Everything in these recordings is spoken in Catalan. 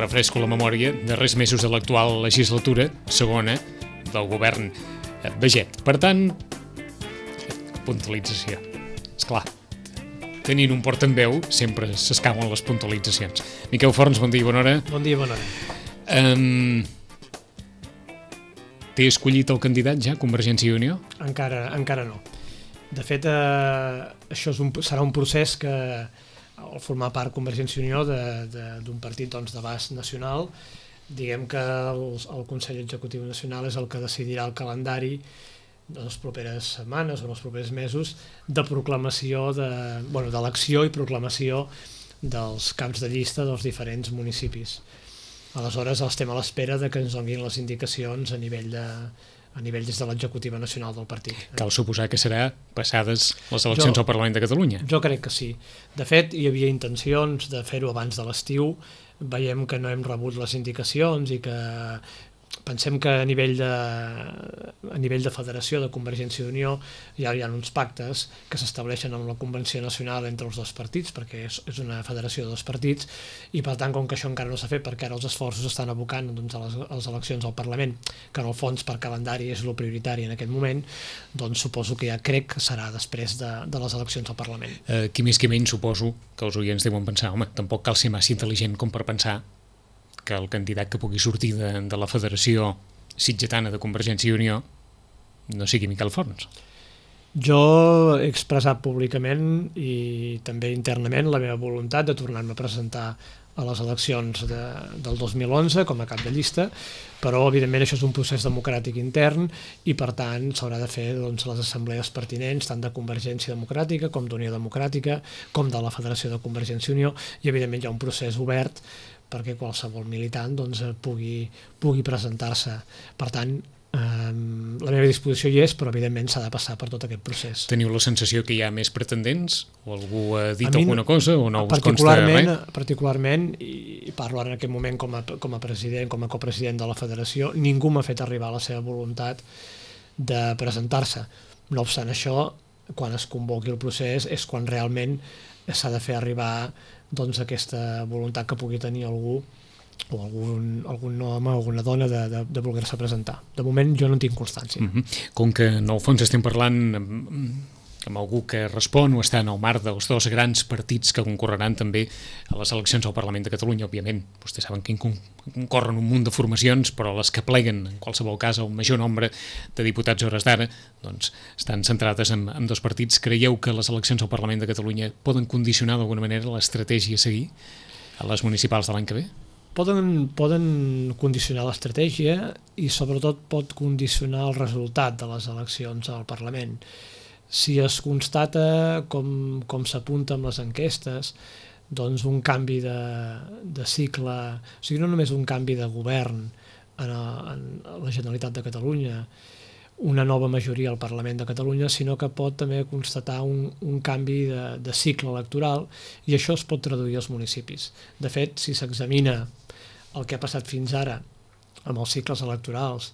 refresco la memòria, darrers mesos de l'actual legislatura, segona, del govern Baiget. Per tant, puntualització. Esclar, tenint un portaveu sempre s'escauen les puntualitzacions. Miquel Forns, bon dia i bona hora. Bon dia i bona hora. Té escollit el candidat ja, Convergència i Unió? Encara no. De fet, això serà un procés que, al formar part Convergència i Unió d'un partit d'abast nacional, diguem que el Consell Executiu Nacional és el que decidirà el calendari de les properes setmanes o els propers mesos de proclamació, d'elecció i proclamació dels caps de llista dels diferents municipis. Aleshores, estem a l'espera de que ens donin les indicacions a nivell des de l'executiva nacional del partit. Cal suposar que serà passades les eleccions al Parlament de Catalunya? Jo crec que sí. De fet, hi havia intencions de fer-ho abans de l'estiu. Veiem que no hem rebut les indicacions i que pensem que a nivell de federació de Convergència i Unió ja hi ha uns pactes que s'estableixen amb la Convenció Nacional entre els dos partits, perquè és una federació de dos partits, i per tant, com que això encara no s'ha fet, perquè ara els esforços estan abocant a les eleccions al Parlament, que en el fons per calendari és el prioritari en aquest moment, doncs suposo que ja crec que serà després de les eleccions al Parlament. Qui més qui menys suposo que els oients deuen pensar, home, tampoc cal ser massa intel·ligent com per pensar que el candidat que pugui sortir de la Federació Sitgetana de Convergència i Unió no sigui Miquel Forns. Jo he expressat públicament i també internament la meva voluntat de tornar-me a presentar a les eleccions del 2011 com a cap de llista, però evidentment això és un procés democràtic intern i per tant s'haurà de fer les assemblees pertinents tant de Convergència Democràtica com d'Unió Democràtica com de la Federació de Convergència i Unió, i evidentment hi ha un procés obert perquè qualsevol militant pugui presentar-se. Per tant, la meva disposició hi és, però evidentment s'ha de passar per tot aquest procés. Teniu la sensació que hi ha més pretendents? O algú ha dit alguna cosa o no us consta res? Particularment, i parlo ara en aquest moment com a president, com a copresident de la federació, ningú m'ha fet arribar la seva voluntat de presentar-se. No obstant això, quan es convoqui el procés és quan realment s'ha de fer arribar aquesta voluntat que pugui tenir algú o algun home o alguna dona de voler-se presentar. De moment jo no en tinc constància. Com que en el fons estem parlant amb algú que respon o està en el marc dels dos grans partits que concorreran també a les eleccions al Parlament de Catalunya, òbviament, vostès saben que concorren un munt de formacions, però les que pleguen, en qualsevol cas, el major nombre de diputats a hores d'ara, doncs estan centrades en dos partits. Creieu que les eleccions al Parlament de Catalunya poden condicionar d'alguna manera l'estratègia a seguir a les municipals de l'any que ve? Poden condicionar l'estratègia i sobretot pot condicionar el resultat de les eleccions al Parlament. Si es constata, com s'apunta amb les enquestes, doncs un canvi de cicle, o sigui, no només un canvi de govern en la Generalitat de Catalunya, una nova majoria al Parlament de Catalunya, sinó que pot també constatar un canvi de cicle electoral, i això es pot traduir als municipis. De fet, si s'examina el que ha passat fins ara amb els cicles electorals,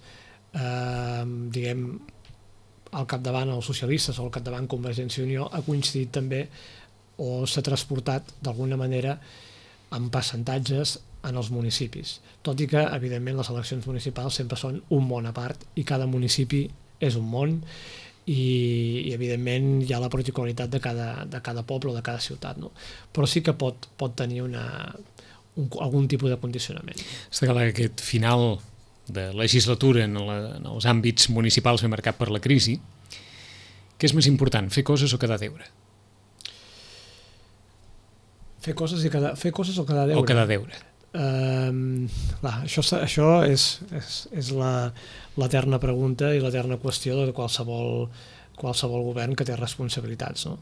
diguem, al capdavant els socialistes o al capdavant Convergència i Unió, ha coincidit també o s'ha transportat d'alguna manera en percentatges en els municipis, tot i que evidentment les eleccions municipals sempre són un món a part i cada municipi és un món i evidentment hi ha la particularitat de cada poble o de cada ciutat, no? Però sí que pot tenir algun tipus de condicionament. Està clar que aquest final de legislatura en els àmbits municipals ben marcat per la crisi, què és més important, fer coses o quedar a deure? Fer coses o quedar a deure? O quedar a deure. Això és l'eterna pregunta i l'eterna qüestió de qualsevol govern que té responsabilitats, no?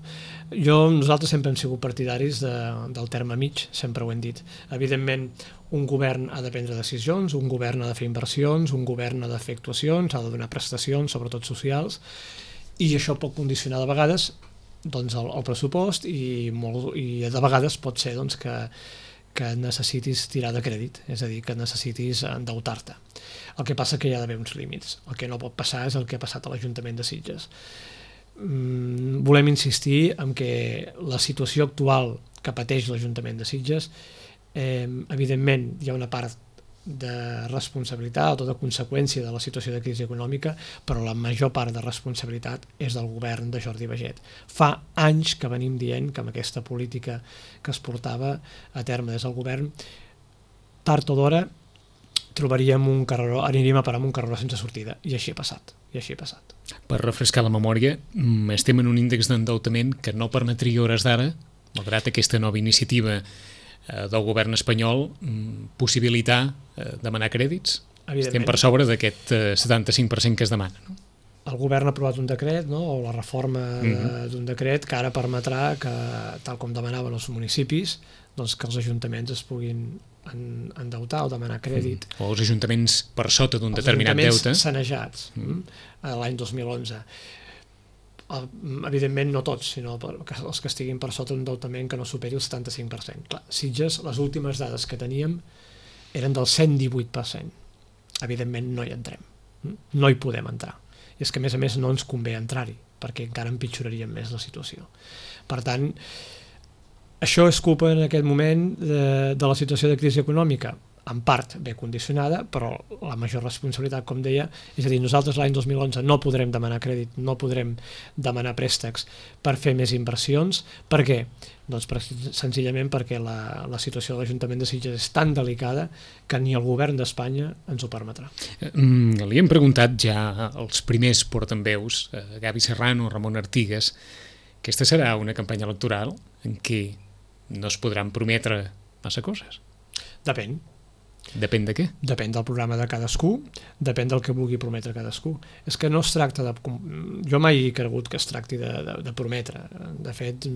Nosaltres sempre hem sigut partidaris del terme mig, sempre ho hem dit. Evidentment, un govern ha de prendre decisions, un govern ha de fer inversions, un govern ha de fer actuacions, ha de donar prestacions, sobretot socials, i això pot condicionar de vegades el pressupost i de vegades pot ser que necessitis tirar de crèdit, és a dir, que necessitis endeutar-te. El que passa que hi ha d'haver uns límits. El que no pot passar és el que ha passat a l'Ajuntament de Sitges. Volem insistir en que la situació actual que pateix l'Ajuntament de Sitges Evidentment, hi ha una part de responsabilitat o de conseqüència de la situació de crisi econòmica, però la major part de responsabilitat és del govern de Jordi Baiget. Fa anys que venim dient que amb aquesta política que es portava a terme des del govern, tard o d'hora trobaríem un carreró, aniríem a parar amb un carreró sense sortida, i així ha passat. Per refrescar la memòria, estem en un índex d'endeutament que no permetria hores d'ara, malgrat aquesta nova iniciativa del govern espanyol, possibilitar demanar crèdits? Estem per sobre d'aquest 75% que es demana, no? El govern ha aprovat un decret, no? O la reforma d'un decret que ara permetrà que, tal com demanaven els municipis, doncs que els ajuntaments es puguin endeutar o demanar crèdit. O els ajuntaments per sota d'un determinat deute. Els ajuntaments sanejats l'any 2011. Evidentment no tots, sinó els que estiguin per sota d'un endeutament que no superi el 75%. Clar, Sitges, les últimes dades que teníem eren del 118%. Evidentment no hi entrem, no hi podem entrar. I és que a més no ens convé entrar-hi, perquè encara empitjoraríem més la situació. Per tant, això és culpa en aquest moment de la situació de crisi econòmica, en part ben condicionada, però la major responsabilitat, com deia, és a dir, nosaltres l'any 2011 no podrem demanar crèdit, no podrem demanar préstecs per fer més inversions. Per què? Doncs senzillament perquè la situació de l'Ajuntament de Sitges és tan delicada que ni el govern d'Espanya ens ho permetrà. Li hem preguntat ja als primers portaveus, Gavi Serrano, Ramon Artigas, aquesta serà una campanya electoral en què no es podran prometre massa coses? Depèn. Depèn de què? Depèn del programa de cadascú, depèn del que vulgui prometre cadascú. És que no es tracta de... Jo mai he cregut que es tracti de prometre. De fet,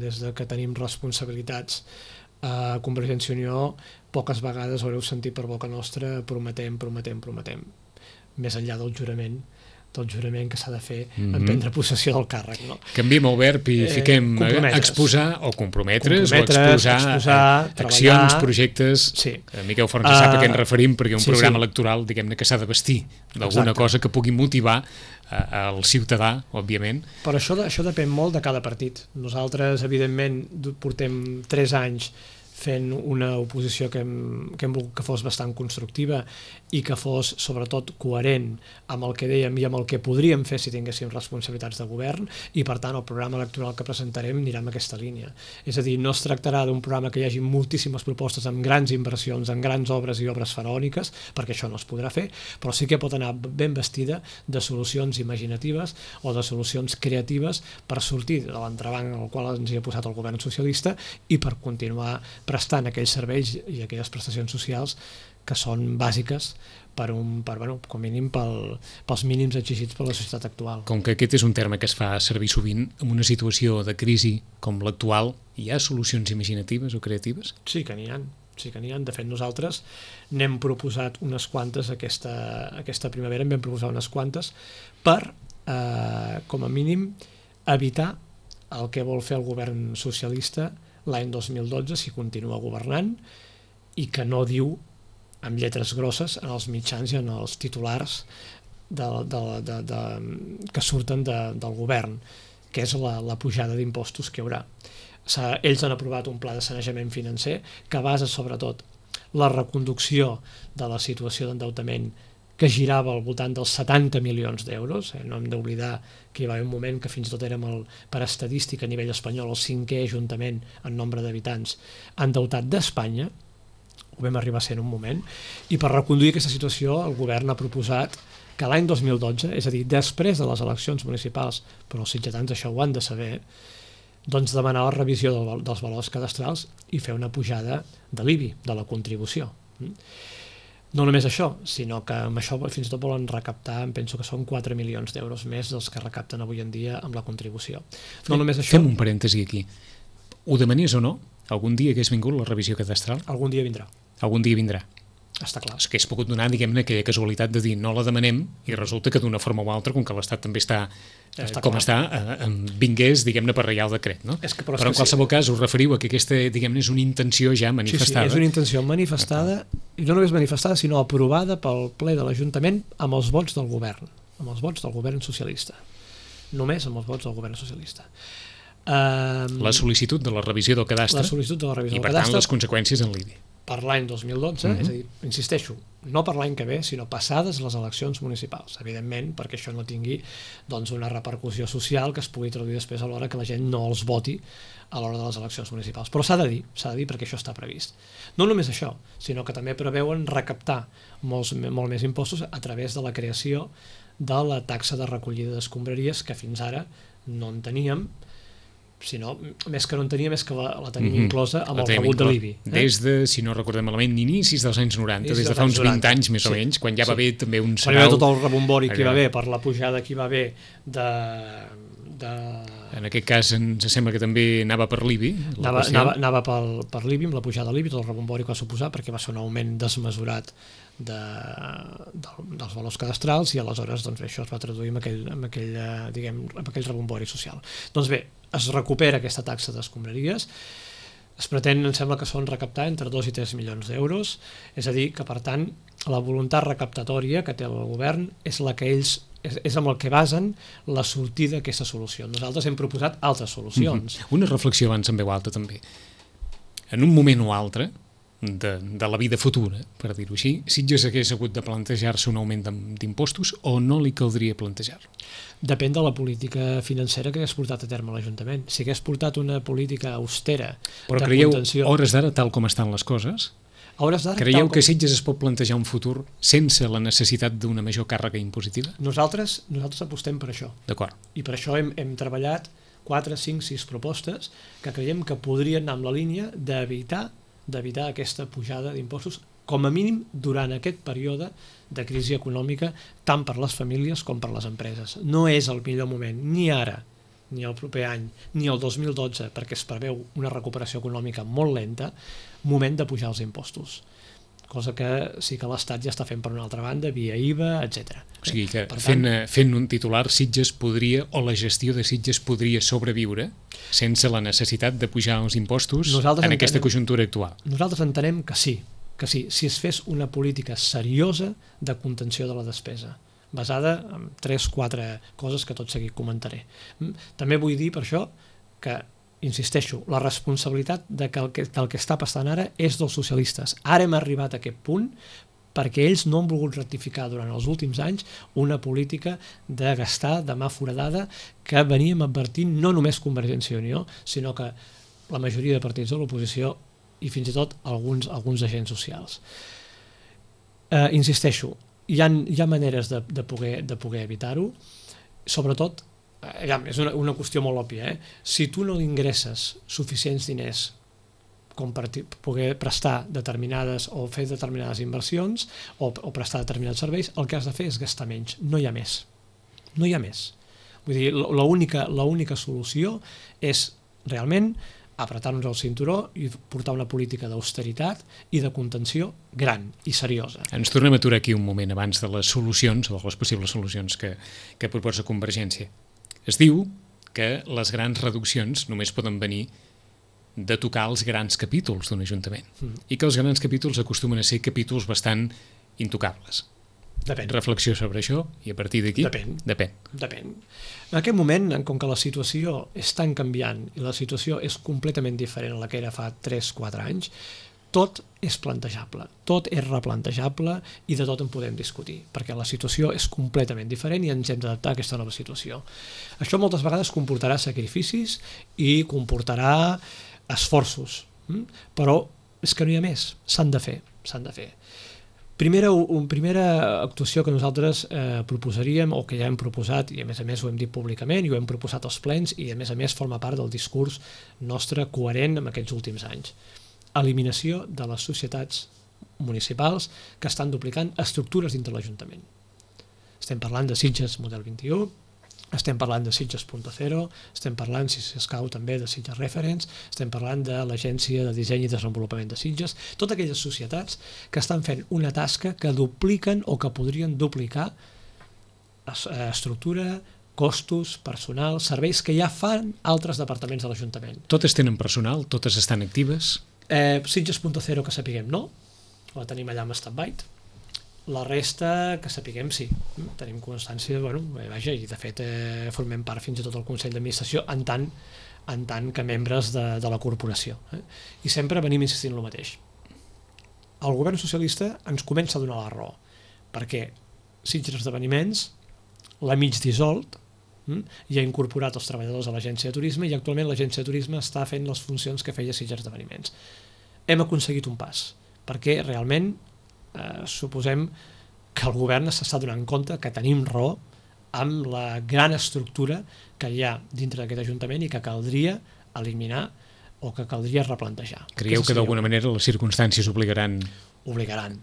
des que tenim responsabilitats a Convergència i Unió, poques vegades haureu sentit per boca nostra prometem. Més enllà del jurament que s'ha de fer en prendre possessió del càrrec. No? Canviem el verb i fiquem exposar o comprometre's o exposar accions, projectes. Sí. Miquel Forns sap a què ens referim, perquè un programa electoral, diguem-ne, que s'ha de vestir d'alguna cosa que pugui motivar el ciutadà, òbviament. Però això depèn molt de cada partit. Nosaltres, evidentment, portem 3 anys fent una oposició que hem volgut que fos bastant constructiva i que fos, sobretot, coherent amb el que dèiem i amb el que podríem fer si tinguéssim responsabilitats de govern, i, per tant, el programa electoral que presentarem anirà en aquesta línia. És a dir, no es tractarà d'un programa que hi hagi moltíssimes propostes amb grans inversions, amb grans obres i obres faraòniques, perquè això no es podrà fer, però sí que pot anar ben vestida de solucions imaginatives o de solucions creatives per sortir de l'entrebanc en el qual ens hi ha posat el govern socialista i per continuar prestant aquells serveis i aquelles prestacions socials que són bàsiques com mínim pels mínims exigits per la societat actual. Com que aquest és un terme que es fa servir sovint, en una situació de crisi com l'actual, hi ha solucions imaginatives o creatives? Sí que n'hi ha. De fet, nosaltres n'hem proposat unes quantes aquesta primavera, en vam proposar unes quantes per, com a mínim, evitar el que vol fer el govern socialista l'any 2012, si continua governant, i que no diu amb lletres grosses en els mitjans i en els titulars que surten del govern, que és la pujada d'impostos que hi haurà. Ells han aprovat un pla de sanejament financer que basa sobretot la reconducció de la situació d'endeutament que girava al voltant dels 70 milions d'euros. No hem d'oblidar que hi va haver un moment que fins i tot érem, per estadística a nivell espanyol, el 5è ajuntament en nombre d'habitants endeutat d'Espanya, ho vam arribar a ser en un moment, i per reconduir aquesta situació el govern ha proposat que l'any 2012, és a dir, després de les eleccions municipals, però els sitgetans això ho han de saber, doncs demanar la revisió dels valors cadastrals i fer una pujada de l'IBI, de la contribució. No només això, sinó que amb això fins i tot volen recaptar, em penso que són 4 milions d'euros més dels que recapten avui en dia amb la contribució. No només això... Fem un parèntesi aquí. Ho demanies o no? Algun dia hagués vingut la revisió cadastral? Algun dia vindrà. Algun dia vindrà. Està clar. És que hagués pogut donar, diguem-ne, aquella casualitat de dir no la demanem i resulta que d'una forma o altra, com que l'Estat també està com està, vingués, diguem-ne, per reial decret, no? Però en qualsevol cas us referiu a que aquesta, diguem-ne, és una intenció ja manifestada. Sí, és una intenció manifestada, i no només manifestada, sinó aprovada pel ple de l'Ajuntament amb els vots del govern, amb els vots del govern socialista. Només amb els vots del govern socialista. La sol·licitud de la revisió del cadastre La sol·licitud de la revisió i, del per tant, cadastre les conseqüències en l'IBI. per l'any 2012, és a dir, insisteixo, no per l'any que ve, sinó passades les eleccions municipals, evidentment, perquè això no tingui doncs, una repercussió social que es pugui traduir després a l'hora que la gent no els voti a l'hora de les eleccions municipals. Però s'ha de dir perquè això està previst. No només això, sinó que també preveuen recaptar molt més impostos a través de la creació de la taxa de recollida d'escombraries, que fins ara no en teníem, sinó, més que no en teníem, és que la tenim inclosa amb el rebut de l'IBI. Des de, si no recordem malament, inicis dels anys 90, des de fa uns 20 anys més o menys, quan ja va haver també un sarau... Tot el rebombori que hi va haver, per la pujada que hi va haver de... En aquest cas ens sembla que també anava per l'IBI. Anava per l'IBI, amb la pujada de l'IBI, tot el rebombori que va suposar, perquè va ser un augment desmesurat dels valors cadastrals, i aleshores doncs, això es va traduir en aquell rebombori social. Doncs bé, es recupera aquesta taxa d'escombraries, es pretén, em sembla que són recaptar entre 2 i 3 milions d'euros, és a dir, que per tant la voluntat recaptatòria que té el govern és la que ells és amb el que basen la sortida d'aquesta solució. Nosaltres hem proposat altres solucions. Una reflexió abans en veu alta també. En un moment o altre de la vida futura, per dir-ho així, Sitges hagués hagut de plantejar-se un augment d'impostos o no li caldria plantejar-lo? Depèn de la política financera que hagués portat a terme l'Ajuntament. Si hagués portat una política austera però de creieu, contenció... hores d'ara, tal com estan les coses, creieu que Sitges es pot plantejar un futur sense la necessitat d'una major càrrega impositiva? Nosaltres apostem per això. D'acord. I per això hem treballat 4, 5, 6 propostes que creiem que podrien anar amb la línia d'evitar aquesta pujada d'impostos, com a mínim durant aquest període de crisi econòmica, tant per les famílies com per les empreses. No és el millor moment, ni ara, ni el proper any, ni el 2012, perquè es preveu una recuperació econòmica molt lenta, moment de pujar els impostos. Cosa que sí que l'Estat ja està fent per una altra banda, via IVA, etc. O sigui que fent un titular, Sitges podria, o la gestió de Sitges podria sobreviure sense la necessitat de pujar els impostos en aquesta conjuntura actual. Nosaltres entenem que sí, si es fes una política seriosa de contenció de la despesa, basada en 3-4 coses que tot seguit comentaré. També vull dir per això que, insisteixo, la responsabilitat del que està passant ara és dels socialistes. Ara hem arribat a aquest punt perquè ells no han volgut rectificar durant els últims anys una política de gastar de mà foradada que veníem advertint no només Convergència i Unió, sinó que la majoria de partits de l'oposició i fins i tot alguns agents socials. Insisteixo, hi ha maneres de poder evitar-ho, sobretot, és una qüestió molt òbvia, si tu no ingresses suficients diners com per poder prestar determinades o fer determinades inversions o prestar determinats serveis, el que has de fer és gastar menys, no hi ha més. No hi ha més. Vull dir, l'única solució és realment apretar-nos el cinturó i portar una política d'austeritat i de contenció gran i seriosa. Ens tornem a aturar aquí un moment abans de les solucions, o de les possibles solucions que proposa Convergència. Es diu que les grans reduccions només poden venir de tocar els grans capítols d'un ajuntament i que els grans capítols acostumen a ser capítols bastant intocables. Depèn. Reflexió sobre això i a partir d'aquí? Depèn. En aquest moment, com que la situació és tan canviant i la situació és completament diferent a la que era fa 3-4 anys, tot és plantejable, tot és replantejable i de tot en podem discutir, perquè la situació és completament diferent i ens hem d'adaptar a aquesta nova situació. Això moltes vegades comportarà sacrificis i comportarà esforços, però és que no hi ha més, s'han de fer. Primera actuació que nosaltres proposaríem, o que ja hem proposat, i a més ho hem dit públicament, i ho hem proposat als plens, i a més forma part del discurs nostre coherent en aquests últims anys. Eliminació de les societats municipals que estan duplicant estructures dintre l'Ajuntament. Estem parlant de Sitges model 21, estem parlant de Sitges.0, estem parlant, si s'escau també, de Sitges Reference, estem parlant de l'Agència de Disseny i Desenvolupament de Sitges, totes aquelles societats que estan fent una tasca que dupliquen o que podrien duplicar estructura, costos, personal, serveis que ja fan altres departaments de l'Ajuntament. Totes tenen personal? Totes estan actives? Sitges.0 que sapiguem no, la tenim allà amb stand-by. La resta, que sapiguem, sí. Tenim constància, i de fet formem part fins i tot del Consell d'Administració, en tant en tant que membres de la corporació. I sempre venim insistint en el mateix. El govern socialista ens comença a donar la raó, perquè Sitges Esdeveniments l'ha mig dissolt i ha incorporat els treballadors a l'agència de turisme, i actualment l'agència de turisme està fent les funcions que feia Sitges Esdeveniments. Hem aconseguit un pas, perquè realment suposem que el govern s'està donant compte que tenim raó amb la gran estructura que hi ha dintre d'aquest ajuntament i que caldria eliminar o que caldria replantejar. Creieu que d'alguna manera les circumstàncies obligaran? Obligaran.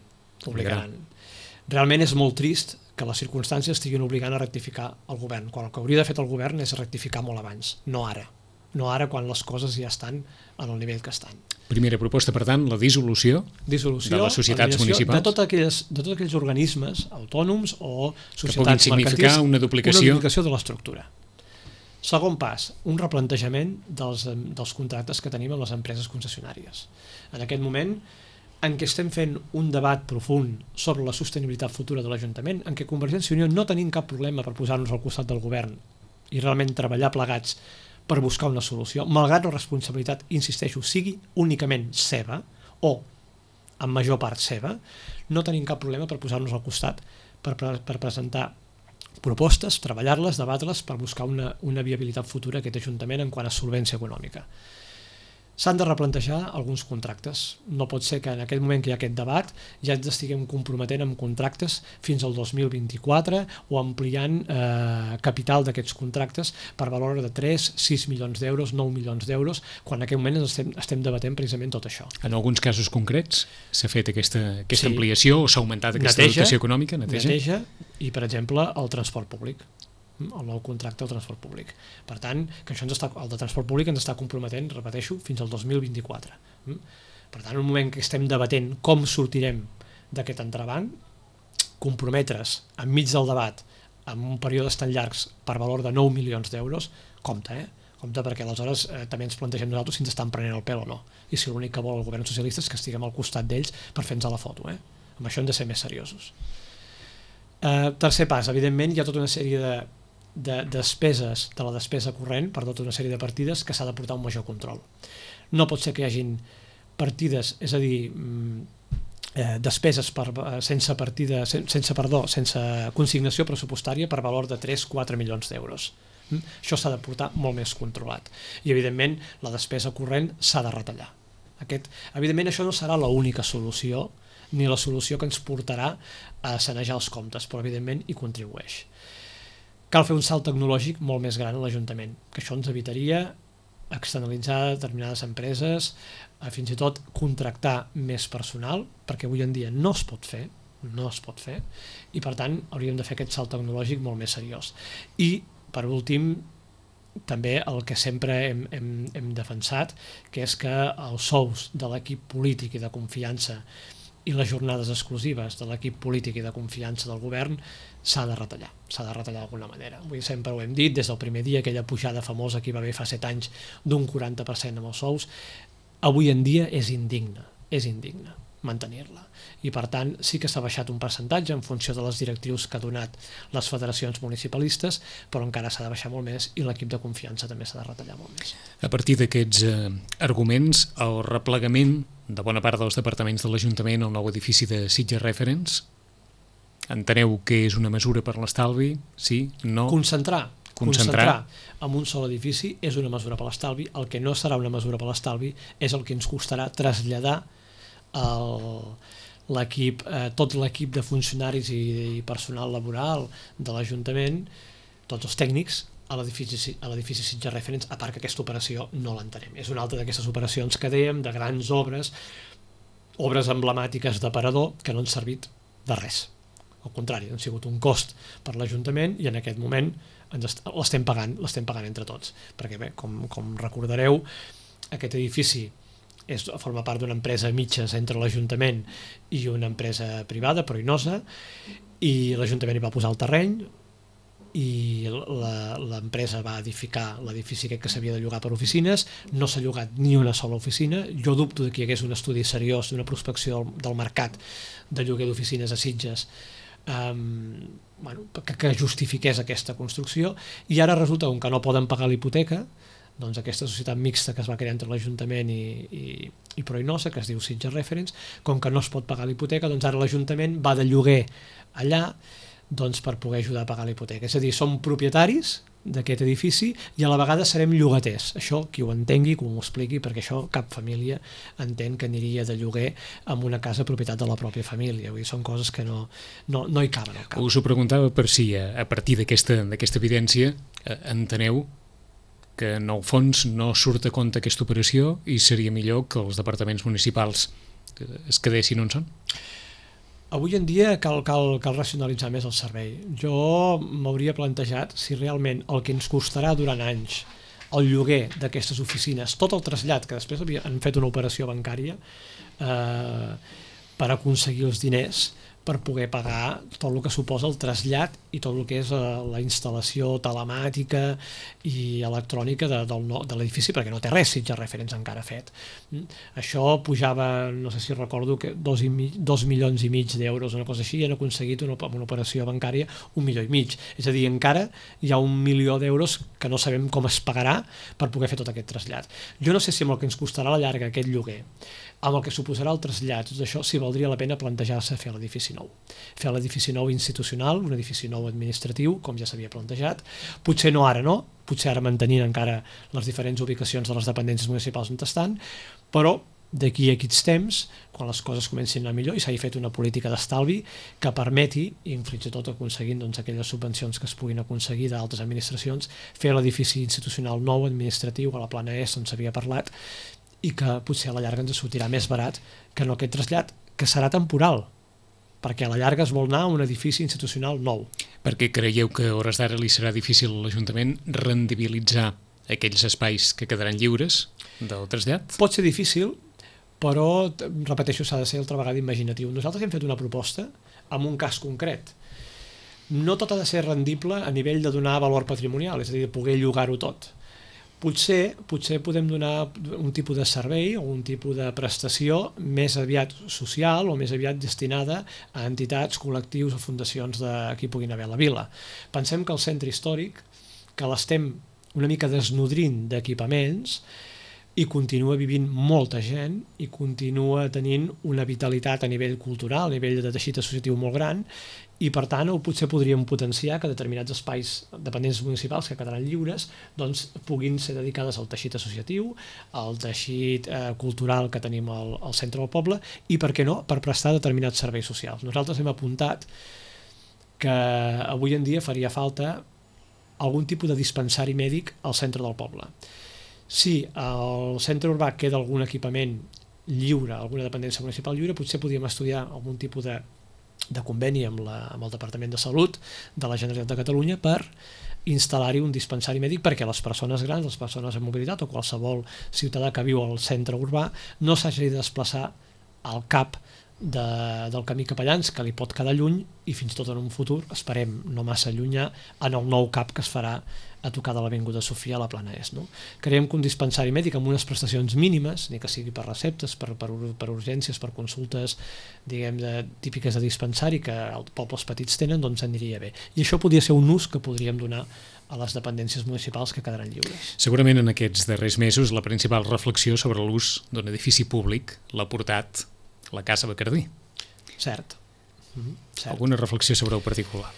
Realment és molt trist que les circumstàncies estiguin obligant a rectificar el govern, quan el que hauria de fer el govern és rectificar molt abans, no ara quan les coses ja estan en el nivell que estan. Primera proposta, per tant, la dissolució de les societats municipals. De tots aquells organismes autònoms o societats que puguin significar una duplicació de l'estructura. Segon pas, un replantejament dels contractes que tenim amb les empreses concessionàries. En aquest moment en què estem fent un debat profund sobre la sostenibilitat futura de l'Ajuntament, en què Convergència i Unió no tenim cap problema per posar-nos al costat del govern i realment treballar plegats per buscar una solució, malgrat la responsabilitat, insisteixo, sigui únicament seva o en major part seva, no tenim cap problema per posar-nos al costat per presentar propostes, treballar-les, debatre's per buscar una viabilitat futura a aquest Ajuntament en quant a solvència econòmica. S'han de replantejar alguns contractes. No pot ser que en aquest moment que hi ha aquest debat ja ens estiguem comprometent amb contractes fins al 2024 o ampliant capital d'aquests contractes per valor de 3, 6 milions d'euros, 9 milions d'euros, quan en aquest moment estem debatent precisament tot això. En alguns casos concrets s'ha fet aquesta ampliació o s'ha augmentat aquesta dotació econòmica? Neteja i, per exemple, el transport públic, el nou contracte del transport públic. Per tant, que això el de transport públic ens està comprometent, repeteixo, fins al 2024. Per tant, en un moment que estem debatent com sortirem d'aquest entrebanc, comprometre's enmig del debat amb un períodes tan llargs per valor de 9 milions d'euros, compte, perquè aleshores també ens plantegem nosaltres si ens estan prenent el pèl o no, i si l'únic que vol el govern socialista és que estiguem al costat d'ells per fer-nos la foto. Amb això hem de ser més seriosos. Tercer pas, evidentment hi ha tota una sèrie de despeses, de la despesa corrent per tota una sèrie de partides que s'ha de portar un major control. No pot ser que hi hagin partides, és a dir, despeses sense consignació pressupostària per valor de 3-4 milions d'euros. Això s'ha de portar molt més controlat. I, evidentment, la despesa corrent s'ha de retallar. Evidentment, això no serà l'única solució ni la solució que ens portarà a sanejar els comptes, però, evidentment, hi contribueix. Cal fer un salt tecnològic molt més gran a l'Ajuntament, que això ens evitaria externalitzar determinades empreses, fins i tot contractar més personal, perquè avui en dia no es pot fer, i per tant hauríem de fer aquest salt tecnològic molt més seriós. I, per últim, també el que sempre hem defensat, que és que els sous de l'equip polític i de confiança i les jornades exclusives de l'equip polític i de confiança del govern s'ha de retallar d'alguna manera. Avui sempre ho hem dit, des del primer dia, aquella pujada famosa que hi va haver fa 7 anys d'un 40% amb els sous, avui en dia és indigne mantenir-la. I per tant sí que s'ha baixat un percentatge en funció de les directrius que ha donat les federacions municipalistes, però encara s'ha de baixar molt més i l'equip de confiança també s'ha de retallar molt més. A partir d'aquests arguments, el replegament de bona part dels departaments de l'Ajuntament al nou edifici de Sitges Reference, enteneu que és una mesura per l'estalvi? Sí? No? Concentrar en un sol edifici és una mesura per l'estalvi. El que no serà una mesura per l'estalvi és el que ens costarà traslladar tot l'equip de funcionaris i personal laboral de l'Ajuntament, tots els tècnics, a l'edifici Sitges Reference, a part que aquesta operació no l'entenem. És una altra d'aquestes operacions que dèiem, de grans obres emblemàtiques d'aparador que no han servit de res. Al contrari, han sigut un cost per l'Ajuntament i en aquest moment l'estem pagant entre tots. Perquè bé, com recordareu, aquest edifici forma part d'una empresa a mitges entre l'Ajuntament i una empresa privada, però Inosa, i l'Ajuntament hi va posar el terreny i l'empresa va edificar l'edifici aquest que s'havia de llogar per oficines. No s'ha llogat ni una sola oficina. Jo dubto que hi hagués un estudi seriós d'una prospecció del mercat de lloguer d'oficines a Sitges que justifiqués aquesta construcció, i ara resulta que no poden pagar la hipoteca doncs, aquesta societat mixta que es va crear entre l'Ajuntament i Proinosa, que es diu Sitges Reference. Com que no es pot pagar l'hipoteca, doncs ara l'Ajuntament va de lloguer allà, doncs, per poder ajudar a pagar la hipoteca. És a dir, som propietaris d'aquest edifici i a la vegada serem llogaters. Això, qui ho entengui, que m'ho expliqui, perquè això cap família entén que aniria de lloguer amb una casa propietat de la pròpia família. Vull dir, són coses que no hi caben al cap. Us ho preguntava per si a partir d'aquesta evidència enteneu que en el fons no surt a compte aquesta operació i seria millor que els departaments municipals es quedessin on són? Avui en dia cal racionalitzar més el servei. Jo m'hauria plantejat si realment el que ens costarà durant anys el lloguer d'aquestes oficines, tot el trasllat, que després han fet una operació bancària per aconseguir els diners per poder pagar tot el que suposa el trasllat i tot el que és la instal·lació telemàtica i electrònica de l'edifici, perquè no té res Sitges Reference encara fet. Això pujava, no sé si recordo, que 2,5 milions d'euros, una cosa així, i han aconseguit amb una operació bancària 1,5 milions. És a dir, encara hi ha 1 milió d'euros que no sabem com es pagarà per poder fer tot aquest trasllat. Jo no sé si amb el que ens costarà a la llarga aquest lloguer, amb el que suposarà el trasllat, tot això, si valdria la pena plantejar-se fer l'edifici nou. Fer l'edifici nou institucional, un edifici nou administratiu, com ja s'havia plantejat. Potser no ara, no? Potser ara mantenint encara les diferents ubicacions de les dependències municipals on estan, però d'aquí a aquests temps, quan les coses comencin a anar millor i s'hagi fet una política d'estalvi que permeti, i fins i tot aconseguint aquelles subvencions que es puguin aconseguir d'altres administracions, fer l'edifici institucional nou administratiu a la plana est on s'havia parlat, i que potser a la llarga ens sortirà més barat que no aquest trasllat, que serà temporal, perquè a la llarga es vol anar a un edifici institucional nou. Perquè creieu que a hores d'ara li serà difícil a l'Ajuntament rendibilitzar aquells espais que quedaran lliures del trasllat? Pot ser difícil, però, repeteixo, s'ha de ser altra vegada imaginatiu. Nosaltres hem fet una proposta amb un cas concret. No tot ha de ser rendible a nivell de donar valor patrimonial, és a dir, de poder llogar-ho tot. Potser podem donar un tipus de servei o un tipus de prestació més aviat social o més aviat destinada a entitats, col·lectius o fundacions de qui puguin haver a la vila. Pensem que el centre històric, que l'estem una mica desnodrint d'equipaments, i continua vivint molta gent i continua tenint una vitalitat a nivell cultural, a nivell de teixit associatiu molt gran, i per tant potser podríem potenciar que determinats espais dependents municipals que quedaran lliures doncs puguin ser dedicades al teixit associatiu, al teixit cultural que tenim al centre del poble i, per què no, per prestar determinats serveis socials. Nosaltres hem apuntat que avui en dia faria falta algun tipus de dispensari mèdic al centre del poble. Si al centre urbà queda algun equipament lliure, alguna dependència municipal lliure, potser podríem estudiar algun tipus de conveni amb el Departament de Salut de la Generalitat de Catalunya per instal·lar-hi un dispensari mèdic perquè les persones grans, les persones amb mobilitat o qualsevol ciutadà que viu al centre urbà no s'hagi de desplaçar al cap del camí Capellans, que li pot quedar lluny i fins i tot en un futur, esperem no massa llunyà, en el nou CAP que es farà a tocar de l'Avinguda Sofia a la plana est. No? Creiem que un dispensari mèdic amb unes prestacions mínimes, ni que sigui per receptes, per urgències, per consultes típiques de dispensari que els pobles petits tenen, doncs aniria bé. I això podria ser un ús que podríem donar a les dependències municipals que quedaran lliures. Segurament en aquests darrers mesos la principal reflexió sobre l'ús d'un edifici públic l'ha portat la Casa Bacardí. Cert. Alguna reflexió sobre el particular?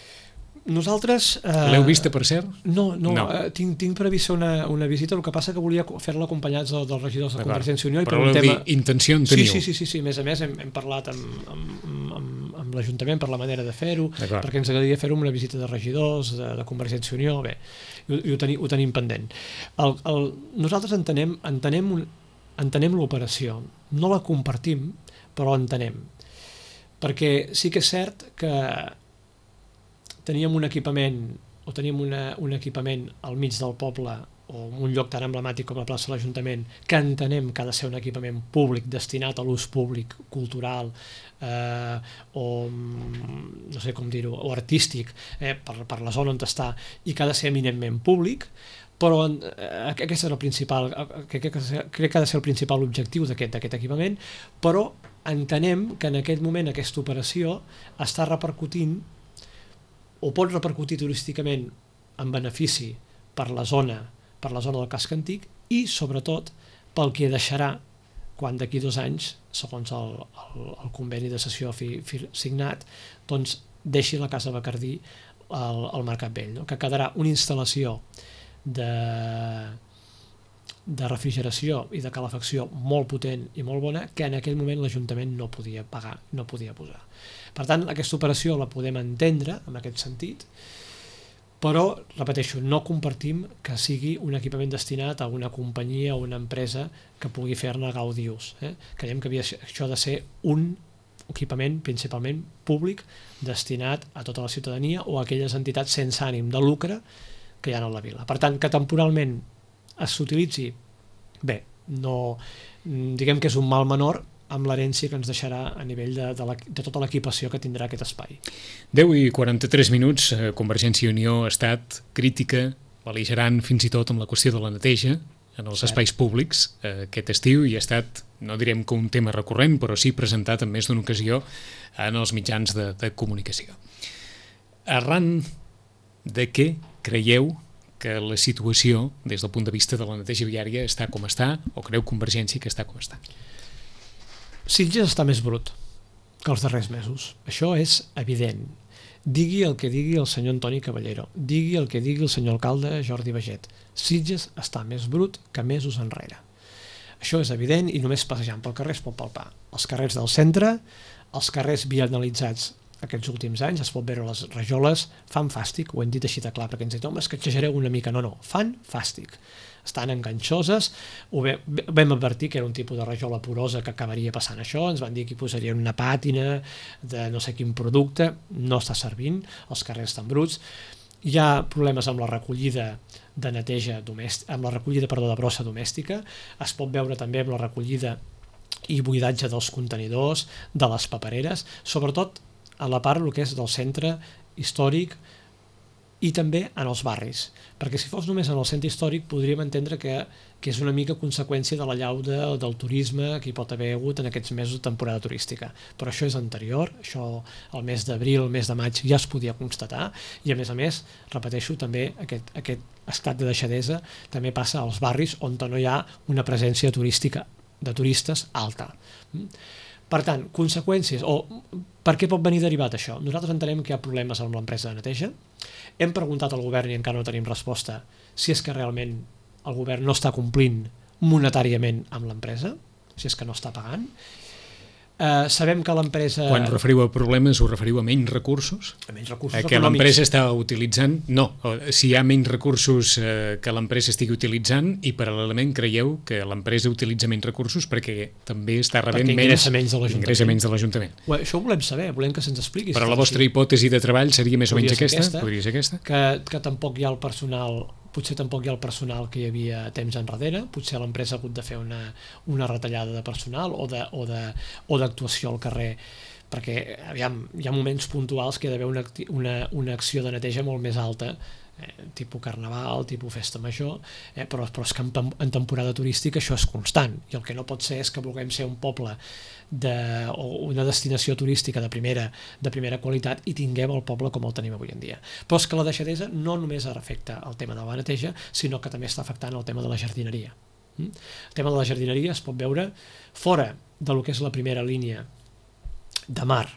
Nosaltres... L'heu vista, per cert? No. Tinc previst una visita, el que passa que volia fer-la acompanyats dels regidors de Convergència i Unió. Però l'heu dit, intenció en teniu? Sí. A més a més, hem parlat amb l'Ajuntament per la manera de fer-ho, perquè ens agradaria fer-ho amb una visita de regidors, de Convergència i Unió, bé, ho tenim pendent. Nosaltres entenem l'operació, no la compartim, però entenem. Perquè sí que és cert que teníem un equipament un equipament al mig del poble o un lloc tan emblemàtic com la plaça de l'Ajuntament que entenem que ha de ser un equipament públic destinat a l'ús públic, cultural o no sé com dir-ho, o artístic per la zona on està i que ha de ser eminentment públic, però aquest és el principal, crec que ha de ser el principal objectiu d'aquest equipament, però entenem que en aquest moment aquesta operació està repercutint o pot repercutir turísticament en benefici per la zona per la zona del casc antic i sobretot pel que deixarà quan d'aquí 2 anys, segons el conveni de cessió signat, doncs deixi la Casa Bacardí al Mercat Vell, no? Que quedarà una instal·lació de refrigeració i de calefacció molt potent i molt bona que en aquell moment l'Ajuntament no podia pagar, no podia posar. Per tant, aquesta operació la podem entendre en aquest sentit, però, repeteixo, no compartim que sigui un equipament destinat a una companyia o una empresa que pugui fer-ne gaudi ús. Creiem que això ha de ser un equipament principalment públic destinat a tota la ciutadania o a aquelles entitats sense ànim de lucre que hi ha a la vila. Per tant, que temporalment s'utilitzi, bé, no, diguem que és un mal menor amb l'herència que ens deixarà a nivell de tota l'equipació que tindrà aquest espai. 10 i 43 minuts, Convergència i Unió ha estat crítica, bel·ligerant fins i tot amb la qüestió de la neteja en els espais públics aquest estiu i ha estat, no direm que un tema recurrent, però sí presentat en més d'una ocasió en els mitjans de comunicació. Arran de què creieu que la situació, des del punt de vista de la neteja viària, està com està, o creu Convergència que està com està? Sitges està més brut que els darrers mesos. Això és evident. Digui el que digui el senyor Antoni Caballero, digui el que digui el senyor alcalde Jordi Baget. Sitges està més brut que mesos enrere. Això és evident i només passejant pel carrer es pot palpar. Els carrers del centre, els carrers vianalitzats aquests últims anys, es pot veure les rajoles, fan fàstic, ho hem dit així de clar, perquè ens diuen, home, és que exagereu una mica. No, fan fàstic. Estan enganxoses, vam advertir que era un tipus de rajola porosa que acabaria passant això, ens van dir que hi posarien una pàtina de no sé quin producte, no està servint, els carrers estan bruts, hi ha problemes amb la recollida de neteja domèstica, amb la recollida, de brossa domèstica, es pot veure també amb la recollida i buidatge dels contenidors, de les papereres, sobretot a la part el que és del centre històric i també en els barris, perquè si fos només en el centre històric podríem entendre que és una mica conseqüència de l'allau del turisme que hi pot haver hagut en aquests mesos de temporada turística, però això és anterior, això el mes d'abril, el mes de maig ja es podia constatar i a més, repeteixo, també aquest estat de deixadesa també passa als barris on no hi ha una presència turística de turistes alta. Per tant, conseqüències, o per què pot venir derivat això? Nosaltres entenem que hi ha problemes amb l'empresa de neteja. Hem preguntat al govern i encara no tenim resposta si és que realment el govern no està complint monetàriament amb l'empresa, si és que no està pagant. Sabem que l'empresa... Quan referiu a problemes, us referiu a menys recursos? A menys recursos que econòmics. L'empresa està utilitzant? No, si hi ha menys recursos que l'empresa estigui utilitzant i paral·lelament creieu que l'empresa utilitza menys recursos perquè també està rebent menys ingressa menys de l'Ajuntament. Això ho volem saber, volem que se'ns expliqui. Però la vostra hipòtesi de treball seria més o menys aquesta? Podria ser aquesta? Que tampoc hi ha el personal... Potser tampoc hi ha el personal que hi havia temps enrere, potser l'empresa ha hagut de fer una retallada de personal o d'actuació al carrer, perquè aviam, hi ha moments puntuals que hi ha d'haver una acció de neteja molt més alta, tipus carnaval, tipus festa major, però és que en temporada turística això és constant, i el que no pot ser és que vulguem ser un poble o una destinació turística de primera qualitat i tinguem el poble com el tenim avui en dia. Però és que la deixadesa no només afecta el tema de la neteja, sinó que també està afectant el tema de la jardineria. El tema de la jardineria es pot veure fora del que és la primera línia de mar,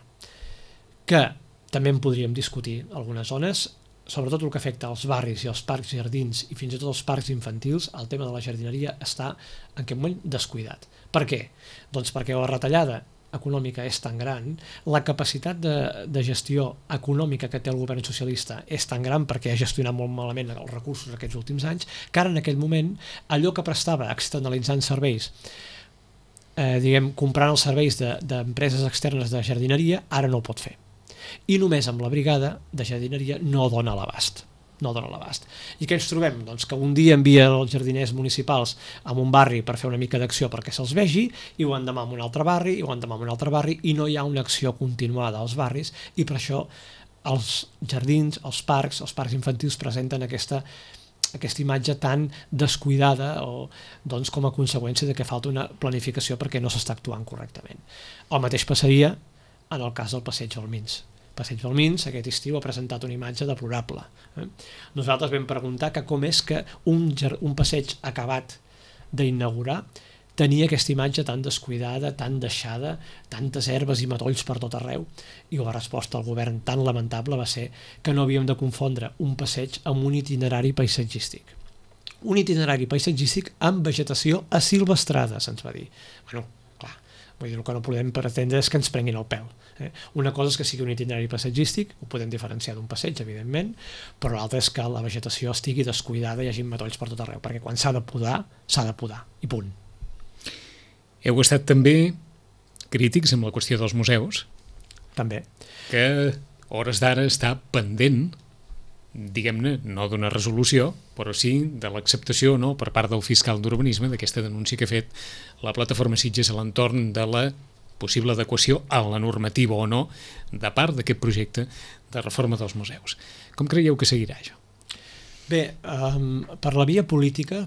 que també en podríem discutir algunes zones, sobretot el que afecta als barris i als parcs i jardins i fins i tot als parcs infantils, el tema de la jardineria està en aquest moment descuidat. Per què? Doncs perquè la retallada econòmica és tan gran, la capacitat de gestió econòmica que té el govern socialista és tan gran perquè ha gestionat molt malament els recursos aquests últims anys, que ara en aquell moment allò que prestava externalitzant serveis, comprant els serveis d'empreses externes de jardineria, ara no ho pot fer. I només amb la brigada de jardineria no dona l'abast. I què ens trobem? Doncs que un dia envia els jardiners municipals a un barri per fer una mica d'acció perquè se'ls vegi, i ho endemà en un altre barri, i no hi ha una acció continuada als barris, i per això els jardins, els parcs infantils presenten aquesta imatge tan descuidada doncs, com a conseqüència de que falta una planificació perquè no s'està actuant correctament. El mateix passaria en el cas del passeig Balmins. Passeig Balmins aquest estiu ha presentat una imatge deplorable. Nosaltres vam preguntar que com és que un passeig acabat d'inaugurar tenia aquesta imatge tan descuidada, tan deixada, tantes herbes i matolls per tot arreu, i la resposta del govern tan lamentable va ser que no havíem de confondre un passeig amb un itinerari paisatgístic. Un itinerari paisatgístic amb vegetació asilvestrada, se'ns va dir. Bueno, clar, vull dir, el que no podem pretendre és que ens prenguin el pèl. Una cosa és que sigui un itinerari paisatgístic, ho podem diferenciar d'un passeig, evidentment, però l'altra és que la vegetació estigui descuidada i hi hagi matolls per tot arreu, perquè quan s'ha de podar, i punt. Heu estat també crítics amb la qüestió dels museus. També. Que a hores d'ara està pendent, diguem-ne, no d'una resolució, però sí de l'acceptació, no, per part del fiscal d'urbanisme d'aquesta denúncia que ha fet la plataforma Sitges a l'entorn de la possible adequació a la normativa o no de part d'aquest projecte de reforma dels museus. Com creieu que seguirà això? Bé, per la via política,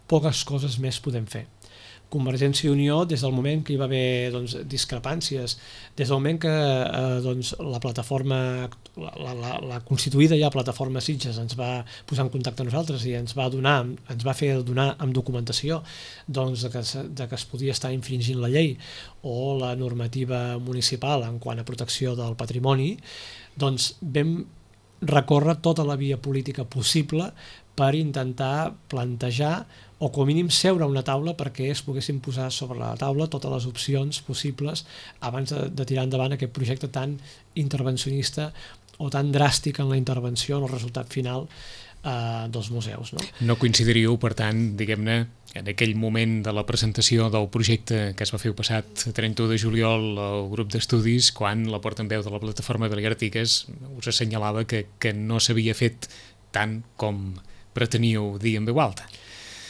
poques coses més podem fer. Convergència i Unió, des del moment que hi va haver discrepàncies, des del moment que la plataforma, la constituïda ja plataforma Sitges ens va posar en contacte amb nosaltres i ens va fer donar amb documentació de que es podia estar infringint la llei o la normativa municipal en quant a protecció del patrimoni, doncs vam recórrer tota la via política possible per intentar plantejar o com a mínim seure a una taula perquè es poguessin posar sobre la taula totes les opcions possibles abans de tirar endavant aquest projecte tan intervencionista o tan dràstic en la intervenció en el resultat final dels museus. No coincidiríeu, per tant, diguem-ne, en aquell moment de la presentació del projecte que es va fer el passat 31 de juliol al grup d'estudis, quan la portaveu de la plataforma Balear Artigas us assenyalava que no s'havia fet tant com preteníeu dir en veu alta.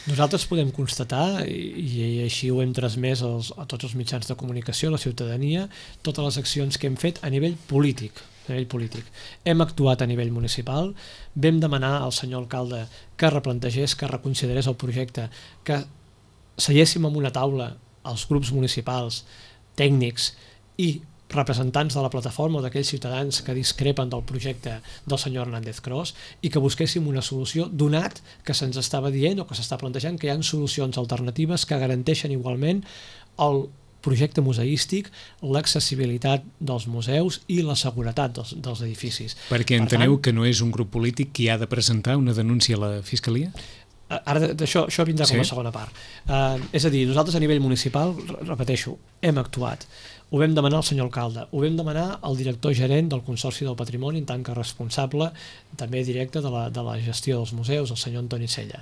Nosaltres podem constatar, i així ho hem transmès a tots els mitjans de comunicació, a la ciutadania, totes les accions que hem fet a nivell polític. Hem actuat a nivell municipal, vam demanar al senyor alcalde que replantegés, que reconsiderés el projecte, que seiéssim en una taula els grups municipals, tècnics i representants de la plataforma o d'aquells ciutadans que discrepen del projecte del senyor Hernández Cros i que busquéssim una solució, donat que se'ns estava dient o que s'està plantejant que hi ha solucions alternatives que garanteixen igualment el projecte museístic, l'accessibilitat dels museus i la seguretat dels edificis. Perquè enteneu que no és un grup polític qui ha de presentar una denúncia a la Fiscalia? Ara això vindrà com a segona part. És a dir, nosaltres a nivell municipal, repeteixo, hem actuat. Ho vam demanar al senyor alcalde, ho vam demanar al director gerent del Consorci del Patrimoni en tant que responsable també directe de la gestió dels museus, el senyor Antoni Sella.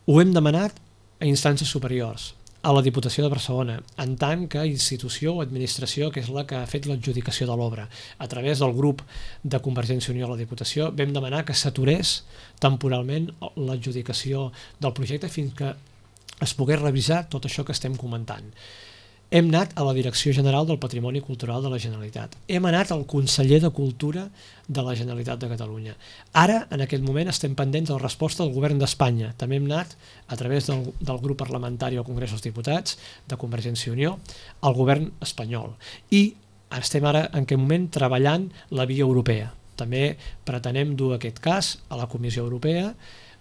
Ho hem demanat a instàncies superiors, a la Diputació de Barcelona, en tant que institució o administració que és la que ha fet l'adjudicació de l'obra. A través del grup de Convergència i Unió a la Diputació vam demanar que s'aturés temporalment l'adjudicació del projecte fins que es pogués revisar tot això que estem comentant. Hem anat a la Direcció General del Patrimoni Cultural de la Generalitat. Hem anat al conseller de Cultura de la Generalitat de Catalunya. Ara, en aquest moment, estem pendents de la resposta del govern d'Espanya. També hem anat, a través del grup parlamentari al Congrés dels Diputats, de Convergència i Unió, al govern espanyol. I estem ara, en aquest moment, treballant la via europea. També pretenem dur aquest cas a la Comissió Europea,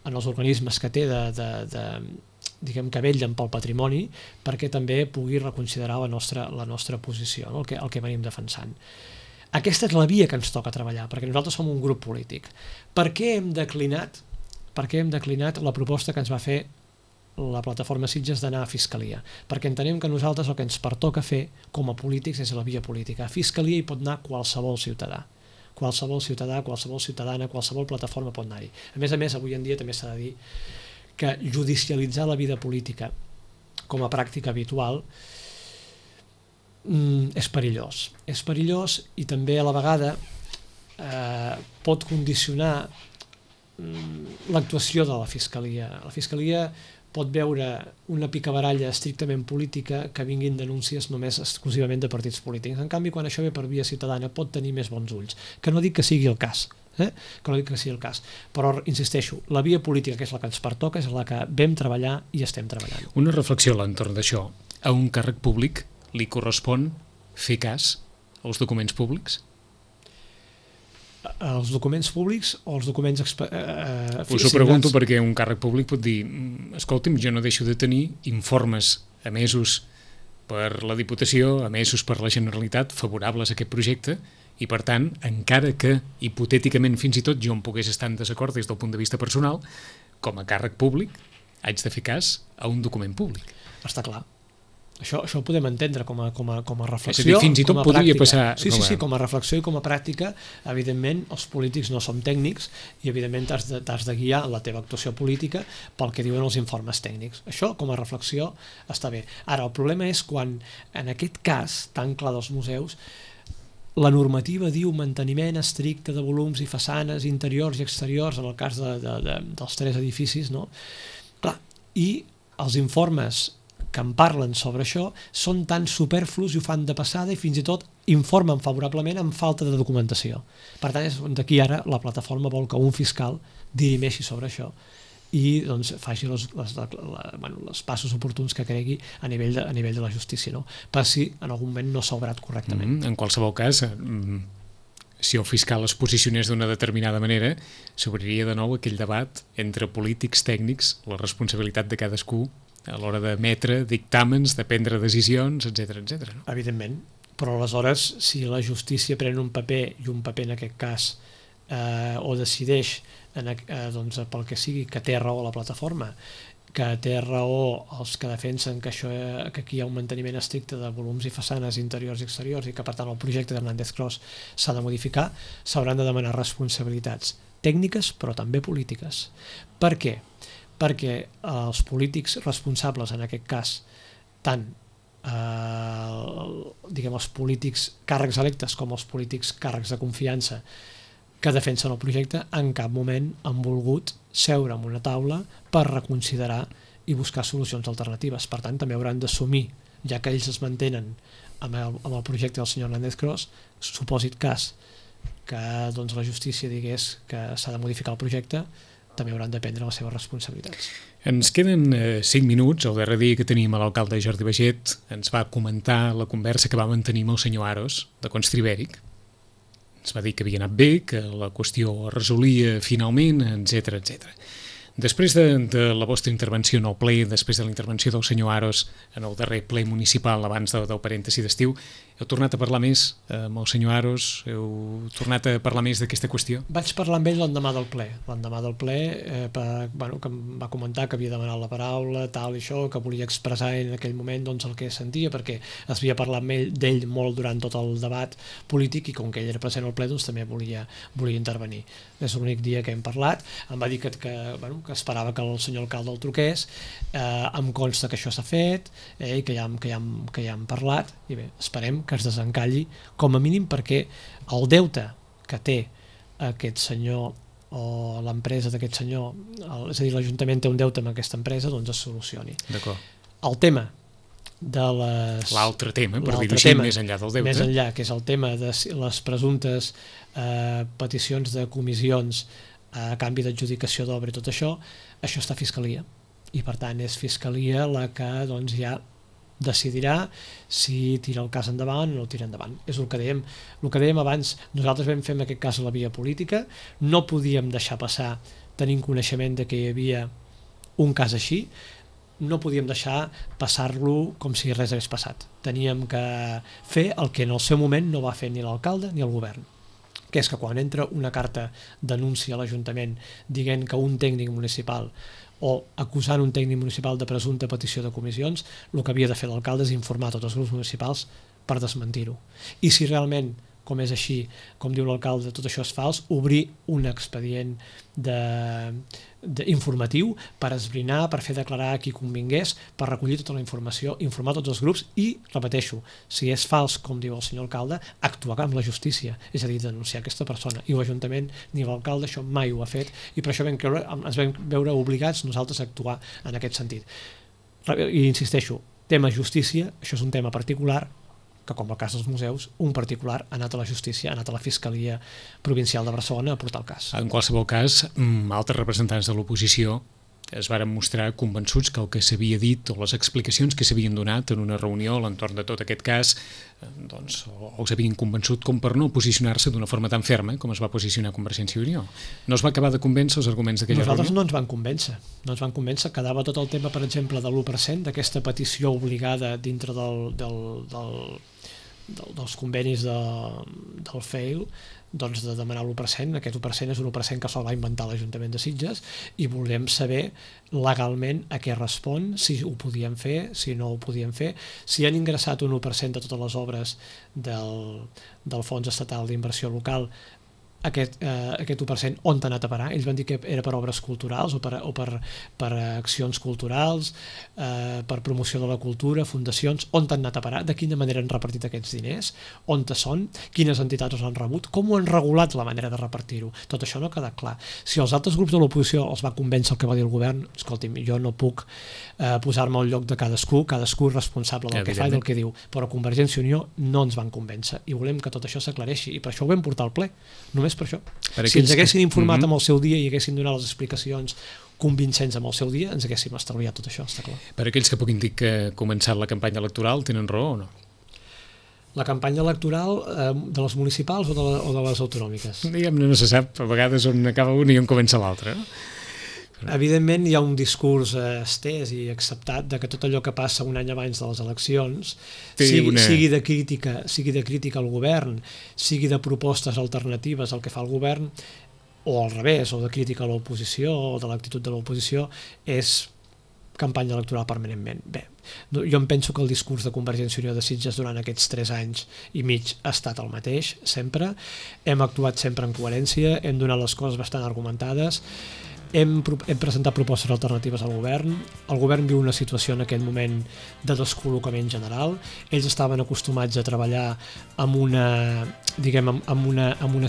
en els organismes que té diguem que vetllen pel patrimoni, perquè també pugui reconsiderar la nostra posició, no? el que venim defensant. Aquesta és la via que ens toca treballar, perquè nosaltres som un grup polític. Per què hem declinat la proposta que ens va fer la plataforma Sitges d'anar a Fiscalia? Perquè entenem que nosaltres el que ens pertoca fer com a polítics és la via política. A Fiscalia hi pot anar qualsevol ciutadà. Qualsevol ciutadà, qualsevol ciutadana, qualsevol plataforma pot anar-hi. A més, avui en dia també s'ha de dir que judicialitzar la vida política com a pràctica habitual és perillós. És perillós i també a la vegada pot condicionar l'actuació de la Fiscalia. La Fiscalia pot veure una picabaralla estrictament política que vinguin denúncies només exclusivament de partits polítics. En canvi, quan això ve per via ciutadana pot tenir més bons ulls. Que no dic que sigui el cas, però insisteixo, la via política que és la que ens pertoca és la que vam treballar i estem treballant. Una reflexió a l'entorn d'això. A un càrrec públic li correspon fer cas als documents públics? Els documents públics o els documents... Us ho pregunto perquè un càrrec públic pot dir escolti'm, jo no deixo de tenir informes emesos per la Diputació, emesos per la Generalitat, favorables a aquest projecte, i per tant, encara que hipotèticament fins i tot jo em pogués estar en desacord des del punt de vista personal, com a càrrec públic haig de fer cas a un document públic. Està clar. Això ho podem entendre com a reflexió. És a dir, fins i tot podria passar... Sí, com a reflexió i com a pràctica, evidentment, els polítics no som tècnics i, evidentment, t'has de guiar la teva actuació política pel que diuen els informes tècnics. Això, com a reflexió, està bé. Ara, el problema és quan, en aquest cas tan clar dels museus, la normativa diu manteniment estricte de volums i façanes interiors i exteriors, en el cas dels 3 edificis, no? Clar, i els informes que en parlen sobre això són tan superflus i ho fan de passada i fins i tot informen favorablement amb falta de documentació. Per tant, és d'aquí ara la plataforma vol que un fiscal dirimeixi sobre això i doncs, faci els passos oportuns que cregui a nivell de la justícia, no? Per si en algun moment no s'ha obrat correctament. En qualsevol cas, si el fiscal es posicionés d'una determinada manera, s'obriria de nou aquell debat entre polítics, tècnics, la responsabilitat de cadascú a l'hora d'emetre dictàmens, de prendre decisions, etc etc. No? Evidentment, però aleshores si la justícia pren un paper, i un paper en aquest cas, o decideix doncs, pel que sigui, que té raó la plataforma, que té raó els que defensen que aquí hi ha un manteniment estricte de volums i façanes interiors i exteriors i que per tant el projecte d'Hernández Cros s'ha de modificar, s'hauran de demanar responsabilitats tècniques però també polítiques. Per què? Perquè els polítics responsables, en aquest cas, tant els polítics càrrecs electes com els polítics càrrecs de confiança que defensen el projecte, en cap moment han volgut seure en una taula per reconsiderar i buscar solucions alternatives. Per tant, també hauran d'assumir, ja que ells es mantenen amb el projecte del senyor Hernández Cros, supòsit cas que doncs, la justícia digués que s'ha de modificar el projecte, també hauran de prendre les seves responsabilitats. Ens queden 5 minuts. El darrer dia que teníem a l'alcalde Jordi Baiget ens va comentar la conversa que va mantenir amb el senyor Aros, de Constribèric. Ens va dir que havia anat bé, que la qüestió es resolia finalment, etc etc. Després de la vostra intervenció en el ple, després de la intervenció del senyor Aros en el darrer ple municipal abans del parèntesi d'estiu, heu tornat a parlar més amb el senyor Aros? Heu tornat a parlar més d'aquesta qüestió? Vaig parlar amb ell l'endemà del ple. Que em va comentar que havia demanat la paraula, tal i això, que volia expressar en aquell moment doncs, el que sentia, perquè es havia parlat d'ell molt durant tot el debat polític i com que ell era present al ple doncs, també volia intervenir. És l'únic dia que hem parlat. Em va dir que esperava que el senyor alcalde el truqués, em consta que això s'ha fet, i que ja hem parlat, i bé, esperem que es desencalli com a mínim perquè el deute que té aquest senyor o l'empresa d'aquest senyor, és a dir, l'Ajuntament té un deute amb aquesta empresa, doncs es solucioni. D'acord. El tema de les... L'altre tema, per dir-ho així, més enllà del deute. Més enllà, que és el tema de les presumptes peticions de comissions a canvi d'adjudicació d'obra i tot això està a Fiscalia. I per tant és Fiscalia la que doncs, ja decidirà si tira el cas endavant o no el tira endavant. És el que dèiem abans. Nosaltres vam fer en aquest cas la via política, no podíem deixar passar, tenint coneixement de que hi havia un cas així, no podíem deixar passar-lo com si res hagués passat. Teníem que fer el que en el seu moment no va fer ni l'alcalde ni el govern, que és que quan entra una carta d'anunci a l'Ajuntament dient que un tècnic municipal o acusant un tècnic municipal de presumpta petició de comissions, el que havia de fer l'alcalde és informar tots els grups municipals per desmentir-ho. I si realment, com és així, com diu l'alcalde, tot això és fals, obrir un expedient informatiu per esbrinar, per fer declarar a qui convingués, per recollir tota la informació, informar tots els grups i, repeteixo, si és fals, com diu el senyor alcalde, actuar amb la justícia, és a dir, denunciar aquesta persona. I l'Ajuntament ni l'alcalde això mai ho ha fet i per això ens vam veure obligats nosaltres a actuar en aquest sentit. I insisteixo, tema justícia, això és un tema particular, que com el cas dels museus, un particular ha anat a la justícia, ha anat a la Fiscalia Provincial de Barcelona a portar el cas. En qualsevol cas, altres representants de l'oposició es varen mostrar convençuts que el que s'havia dit o les explicacions que s'havien donat en una reunió a l'entorn de tot aquest cas doncs, o els havien convençut com per no posicionar-se d'una forma tan ferma com es va posicionar Convergència i Unió. No es va acabar de convèncer els arguments d'aquella reunió? Nosaltres no ens van convèncer. Quedava tot el tema, per exemple, de l'1%, d'aquesta petició obligada dintre dels convenis del FEIL, doncs de demanar l'1%. Aquest 1% és un 1% que se'l va inventar l'Ajuntament de Sitges i volem saber legalment a què respon, si ho podien fer, si no ho podien fer, si han ingressat un 1% de totes les obres del Fons Estatal d'Inversió Local, aquest 1% on t'ha anat a parar. Ells van dir que era per obres culturals o per accions culturals, per promoció de la cultura, fundacions. On t'han anat a parar? De quina manera han repartit aquests diners? On te són? Quines entitats els han rebut? Com ho han regulat la manera de repartir-ho? Tot això no ha quedat clar. Si els altres grups de l'oposició els va convèncer el que va dir el govern, escolti'm, jo no puc posar-me al lloc de cadascú és responsable del que fa i del que diu, però Convergència i Unió no ens van convèncer i volem que tot això s'aclareixi i per això ho vam portar al ple, només per això. Si ens haguessin informat amb el seu dia i haguessin donat les explicacions convincents amb el seu dia, ens haguéssim estalviat tot això, està clar. Per aquells que puguin dir que ha començat la campanya electoral, tenen raó o no? La campanya electoral de les municipals o de les autonòmiques? Diguem-ne, no se sap a vegades on acaba una i on comença l'altra, no? Evidentment hi ha un discurs estès i acceptat de que tot allò que passa un any abans de les eleccions sigui de crítica al govern, sigui de propostes alternatives al que fa el govern, o al revés, o de crítica a l'oposició o de l'actitud de l'oposició, és campanya electoral permanentment. Bé, jo em penso que el discurs de Convergència i Unió de Sitges durant aquests 3 anys i mig ha estat el mateix, sempre. Hem actuat sempre en coherència, hem donat les coses bastant argumentades, hem presentat propostes alternatives al govern. El govern viu una situació en aquest moment de descol·locament general. Ells estaven acostumats a treballar amb unes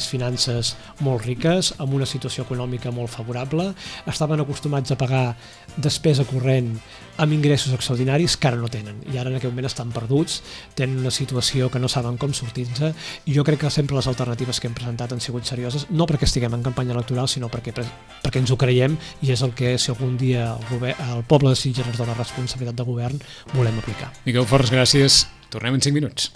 finances molt riques, amb una situació econòmica molt favorable, estaven acostumats a pagar despesa corrent amb ingressos extraordinaris que ara no tenen, i ara en aquest moment estan perduts, tenen una situació que no saben com sortir-se, i jo crec que sempre les alternatives que hem presentat han sigut serioses, no perquè estiguem en campanya electoral, sinó perquè ens ho creiem, i és el que, si algun dia el poble de Sitges ens dona responsabilitat de govern, volem aplicar. Miquel Forns, gràcies. Tornem en 5 minuts.